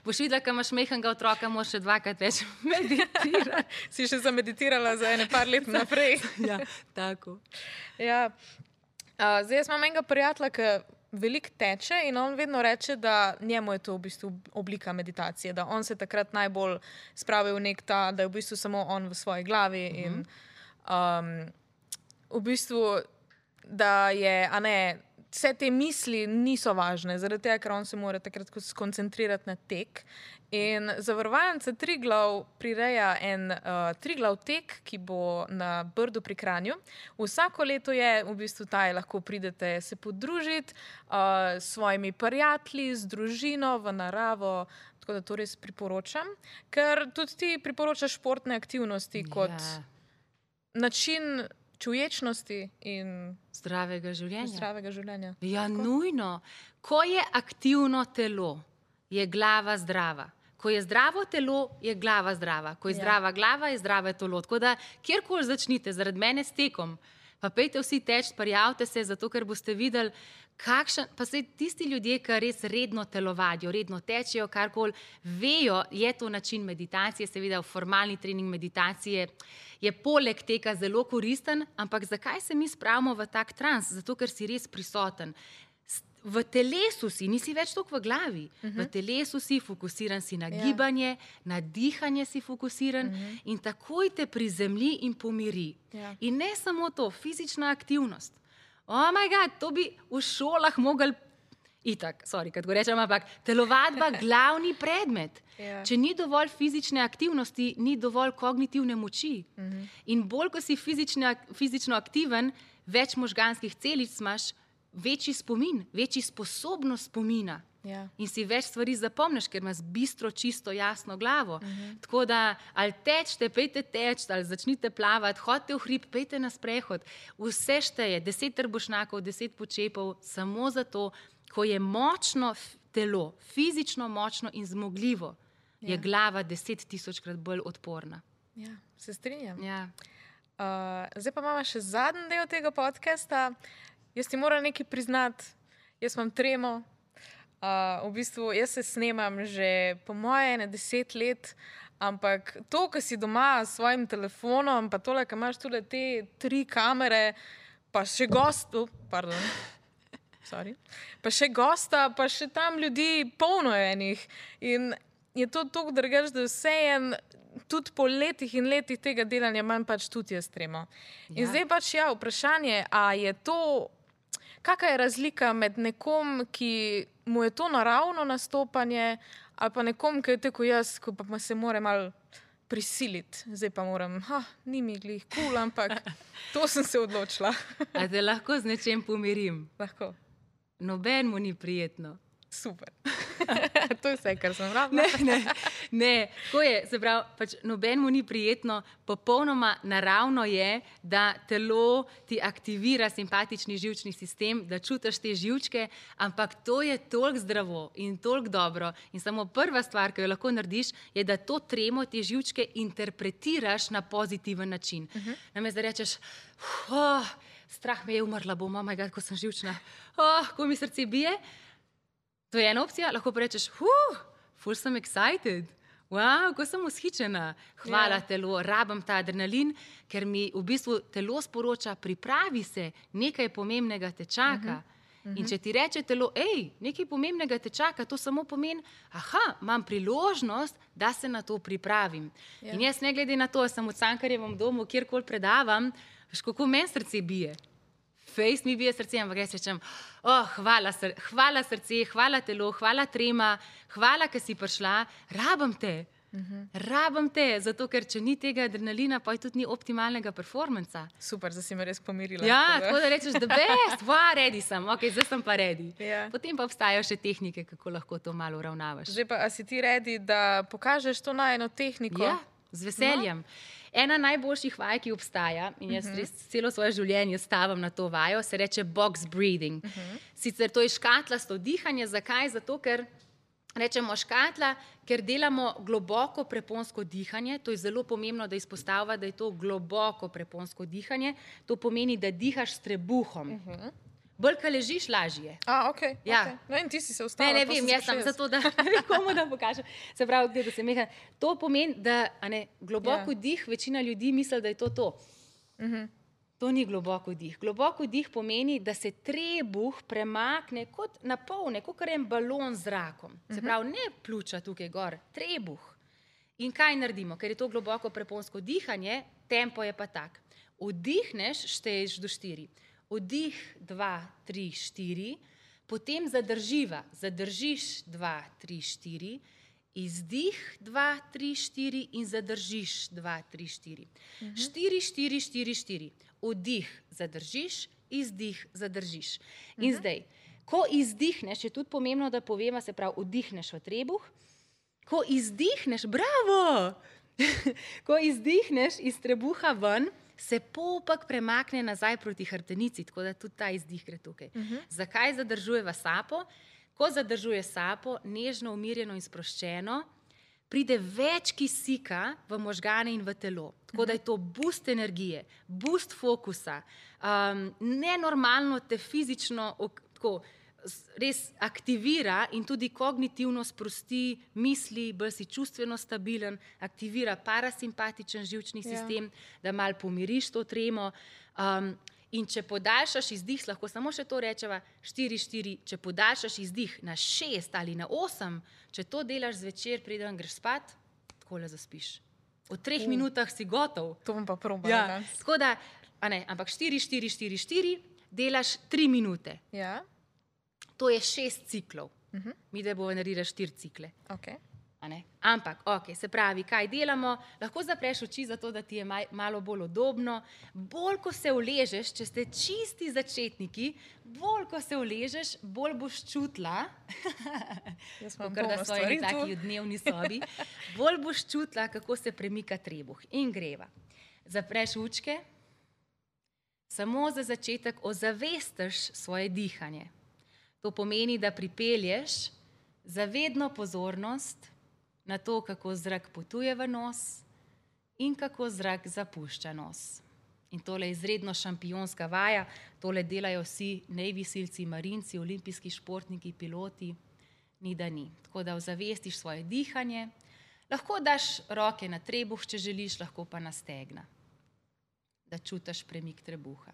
Boš videla, ko imaš majhnega otroka, moraš še 2krat več meditirati. Si še zameditirala za ene par let naprej. Ja, tako. Ja. Zdaj jaz imam enega prijatelja, ki veliko teče in on vedno reče, da njemu je to v bistvu oblika meditacije, da on se takrat najbolj spravi v nek ta, da je v bistvu samo on v svoji glavi in v bistvu, da je, vse te misli niso važne, zaradi tega, ker on se mora takrat skoncentrirati na tek. In zavarovalnica Triglav prireja en Triglav tek, ki bo na Brdu pri Kranju. Vsako leto je v bistvu lahko pridete se podružiti s svojimi prijatelji, z družino, v naravo, tako da to res priporočam. Ker tudi ti priporočaš športne aktivnosti kot način čuječnosti in zdravega življenja. Ja, nujno. Ko je aktivno telo, je glava zdrava. Ko je zdravo telo, je glava zdrava. Ko je zdrava glava, je zdravo telo. Tako da, kjerkoli začnite, zaradi mene s tekom, pa pejte vsi teč, prijavite se, zato ker boste videli, pa se tisti ljudje, ki res redno telovadijo, redno tečejo, karkoli, vejo, je to način meditacije, seveda formalni trening meditacije je poleg tega zelo koristen, ampak zakaj se mi spravimo v tak trans? Zato, ker si res prisoten. V telesu si, nisi več toliko v glavi, v telesu si, fokusiran si na gibanje, na dihanje si fokusiran in takoj te prizemlji in pomiri. In ne samo to, fizična aktivnost. Oh my God, to bi v šolah mogli, kad go rečem, ampak telovadba glavni predmet. Če ni dovolj fizične aktivnosti, ni dovolj kognitivne moči. In bolj, ko si fizično aktiven, več možganskih celic imaš, večji spomin, večji sposobnost spomina. In si več stvari zapomniš, ker imaš bistro, čisto, jasno glavo. Tako da, ali tečte, pejte teč, ali začnite plavati, hodite v hrib, pejte na sprehod. Vse šteje, 10 trbušnjakov, 10 počepov, samo zato, ko je močno telo, fizično močno in zmogljivo, je glava 10.000-krat bolj odporna. Ja, se strinjam. Ja. Zdaj pa imamo še zadnji del tega podcasta. Jaz ti moram nekaj priznati, jaz imam tremo. V bistvu jaz se snemam že po moje 10 let, ampak to, ko si doma s svojim telefonom, pa tole, ko imaš tule te 3 kamere, pa še pa še gosta, pa še tam ljudi polno enih. In je to toliko drugače, da vseeno tudi po letih in letih tega delanja imam pač tudi jaz tremo. In zdaj pač vprašanje, a je to... Kakšna je razlika med nekom, ki mu je to naravno nastopanje, ali pa nekom, ki je tako jaz, ko pa se mora malo prisiliti. Zdaj pa moram, ni mi glih kul, ampak to sem se odločila. A te lahko z nečem pomirim? Lahko. Noben mu ni prijetno. Super. To je vse, kar sem rabila. Ne, tako je, se pravi, pač noben mu ni prijetno, popolnoma naravno je, da telo ti aktivira simpatični živčni sistem, da čutiš te živčke, ampak to je toliko zdravo in toliko dobro. In samo prva stvar, ki jo lahko narediš, je, da to tremo, te živčke interpretiraš na pozitiven način. Namesto da rečeš, strah me je, umrla bom, oh my God, ko sem živčna, ko mi srce bije. To je ena opcija, lahko pa rečeš, ful sem excited, wow, ko sem vzhičena, hvala telo, rabim ta adrenalin, ker mi v bistvu telo sporoča, pripravi se, nekaj pomembnega te čaka. In če ti reče telo, nekaj pomembnega te čaka, to samo pomeni, imam priložnost, da se na to pripravim. In jaz ne glede na to, sem v Cankarjevem domu, kjerkoli predavam, veš, kako meni srce bije. Fejst mi bije srce, ampak jaz rečem, hvala srce, hvala telo, hvala trema, hvala, ker si prišla, rabim te, zato ker če ni tega adrenalina, pa tudi ni optimalnega performansa. Super, zdaj si me res pomirila. Ja, tako da rečeš, the best, ready sem, zdaj sem pa ready. Ja. Potem pa obstajajo še tehnike, kako lahko to malo uravnavaš. Zdaj pa, a si ti ready, da pokažeš to najino tehniko? Ja, z veseljem. Ena najboljših vaj, ki obstaja, in jaz res celo svoje življenje stavim na to vajo, se reče box breathing. Sicer to je škatlasto dihanje, zakaj? Zato, ker rečemo škatla, ker delamo globoko preponsko dihanje. To je zelo pomembno, da izpostavlja, da je to globoko preponsko dihanje. To pomeni, da dihaš s trebuhom. Bolj, ko ležiš, lažje. Okay. No in ti si se ustavila. Ne vem, jaz sem zato, da komu da pokažem. Se pravi, da se meha. To pomeni, da globoko dih, večina ljudi misli, da je to. To ni globoko dih. Globoko dih pomeni, da se trebuh premakne kot napolne, kot en balon z zrakom. Se pravi, ne pljuča tukaj gor, trebuh. In kaj naredimo? Ker je to globoko preponsko dihanje, tempo je pa tak. Vdihneš, šteješ do 4. Vdih 2, 3, 4, potem zadržiš 2, 3, 4, izdih 2, 3, 4 in zadržiš 2, 3, 4. 4, 4, 4, 4. Vdih zadržiš, izdih zadržiš. In zdaj, ko izdihneš, je tudi pomembno, da povemo, se pravi, vdihneš v trebuh, ko izdihneš, bravo! Ko izdihneš iz trebuha ven, se popek premakne nazaj proti hrbtenici, tako da tudi ta izdih gre tukaj. Zakaj zadržujeva sapo? Ko zadržuje sapo, nežno, umirjeno in sproščeno, pride več kisika v možgane in v telo. Tako da je to boost energije, boost fokusa, nenormalno te fizično res aktivira in tudi kognitivno sprosti misli, bolj si čustveno stabilen, aktivira parasimpatičen živčni sistem, da malo pomiriš to tremo. In če podaljšaš izdih, lahko samo še to rečeva, 4, 4, če podaljšaš izdih na 6 ali na 8, če to delaš zvečer, preden greš spat, takole zaspiš. V 3 minutah si gotov. To bom pa probala. Tako da, ampak 4, 4, 4, 4, delaš 3 minute. Ja. To je 6 ciklov. Mi da bomo naredili 4 cikle. Ampak, se pravi, kaj delamo? Lahko zapreš oči zato, da ti je malo bolj udobno. Bolj, ko se uležeš, če ste čisti začetniki, bolj, ko se uležeš, bolj boš čutila, kakor da svoji taki dnevni sobi, bolj boš čutila, kako se premika trebuh. In greva. Zapreš očke, samo za začetek ozavestiš svoje dihanje. To pomeni, da pripelješ zavedno pozornost na to, kako zrak potuje v nos in kako zrak zapušča nos. In tole je izredno šampionska vaja, tole delajo vsi najvisilci, marinci, olimpijski športniki, piloti, ni da ni. Tako da ozavestiš svoje dihanje, lahko daš roke na trebuh, če želiš, lahko pa na stegna, da čutiš premik trebuha.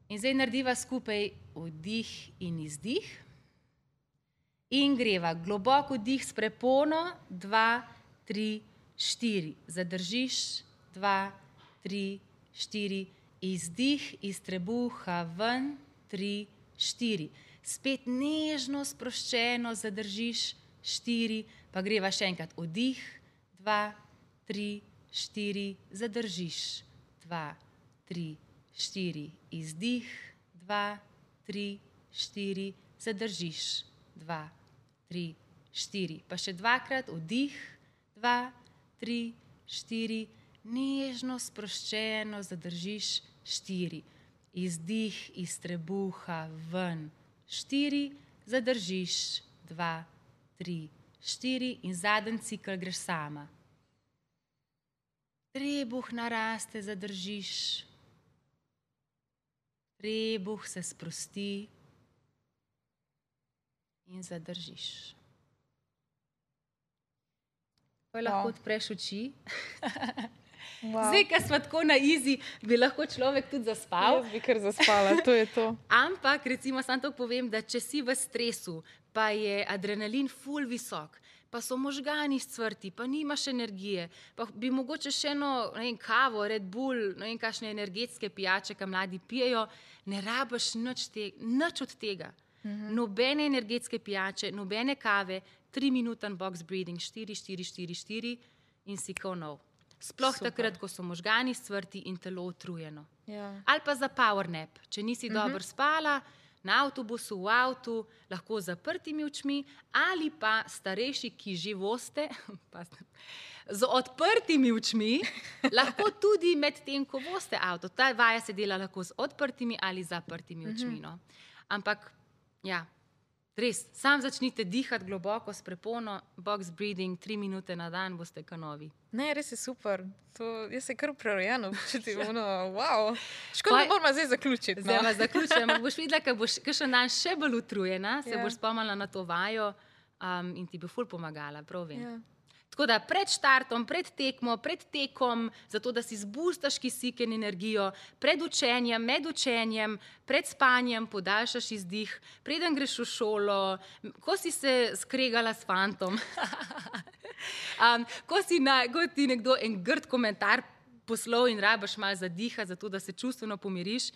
In zdaj narediva skupaj vdih in izdih in greva globoko dih s prepono, 2, 3, 4. Zadržiš, 2, 3, 4. Izdih iz trebuha ven, 3, 4. Spet nežno, sproščeno zadržiš, 4. Pa greva še enkrat vdih, 2, 2, 3, 4, zadržiš, 2, 3, 4, izdih, 2, 3, 4, zadržiš, 2, 3, 4, pa še dvakrat, vdih, 2, 3, 4, nežno, sproščeno, zadržiš, 4, izdih iz trebuha ven, 4, zadržiš, 2, 3, 4 in zadnji cikel greš sama. Trebuh naraste, zadržiš, trebuh se sprosti in zadržiš. Pa lahko odpreš oči. Zdaj, ko smo tako na izi, bi lahko človek tudi zaspal. Jaz bi kar zaspala, to je to. Ampak, recimo, samo to povem, da če si v stresu, pa je adrenalin ful visok, pa so možgani scvrti, pa nimaš energije, pa bi mogoče še eno, ne vem, kavo, Red Bull, ne vem, kakšne energetske pijače, ki mladi pijejo, ne rabiš nič od tega. Nobene energetske pijače, nobene kave, 3-minuten box breathing, 4, 4, 4, 4 in si ko nov. Sploh takrat, ko so možgani scvrti in telo utrujeno. Ja. Ali pa za power nap, če nisi dobro spala, na avtobusu, v avtu, lahko z zaprtimi očmi, ali pa starejši, ki že voste, z odprtimi očmi, lahko tudi med tem, ko voste avto. Ta vaja se dela lahko z odprtimi ali zaprtimi očmi. No. Ampak, ja, res, sam začnite dihati globoko s prepono, box breathing, 3 minute na dan, boste kanovi. Ne, res je super. Jaz se kar prerojeno počutim. Wow. Škoda, da moramo zdaj zaključiti. Zdaj vas zaključujem. Boš videla, ko boš kakšen dan še bolj utrujena, se boš spomnila na to vajo in ti bo ful pomagala, prav vem. Ja. Tako da pred štartom, pred tekmo, pred tekom, zato da si zbustaš kisik in energijo, pred učenjem, med učenjem, pred spanjem, podaljšaš izdih, preden greš v šolo, ko si se skregala s fantom, ko ti nekdo en grd komentar poslal in rabiš malo zadiha, zato da se čustveno pomiriš,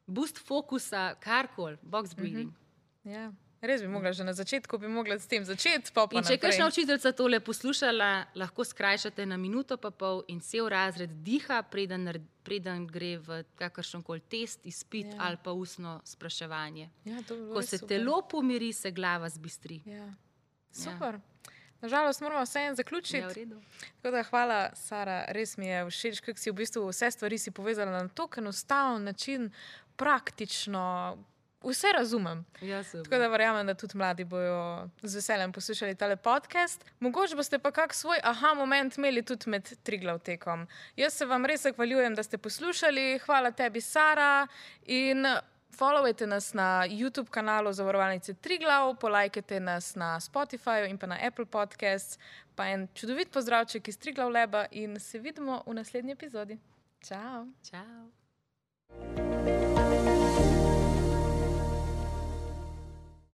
boost fokusa, karkoli, box breathing. Ja. Res bi mogla že na začetku, bi mogla s tem začeti, pa in če je kakšna učiteljica tole poslušala, lahko skrajšate na minuto pa pol in cel razred diha, preden gre v kakršenkoli test, izpit ali pa ustno spraševanje. Ja, ko se telo pomiri, se glava zbistri. Ja. Super. Nažalost, moramo vseeno zaključiti. Ja, v redu. Tako da hvala, Sara, res mi je všeč, kako si v bistvu vse stvari si povezala na tako enostaven način, praktično. Vse razumem. Ja, tako da verjamem, da tudi mladi bojo z veseljem poslušali tale podcast. Mogoče boste pa kak svoj aha moment imeli tudi med Triglav tekom. Jaz se vam res zahvaljujem, da ste poslušali. Hvala tebi, Sara. In followajte nas na YouTube kanalu Zavarovalnice Triglav, polajkajte nas na Spotifyju in pa na Apple Podcasts. Pa en čudovit pozdravček iz Triglav Laba in se vidimo v naslednji epizodi. Čau. Čau.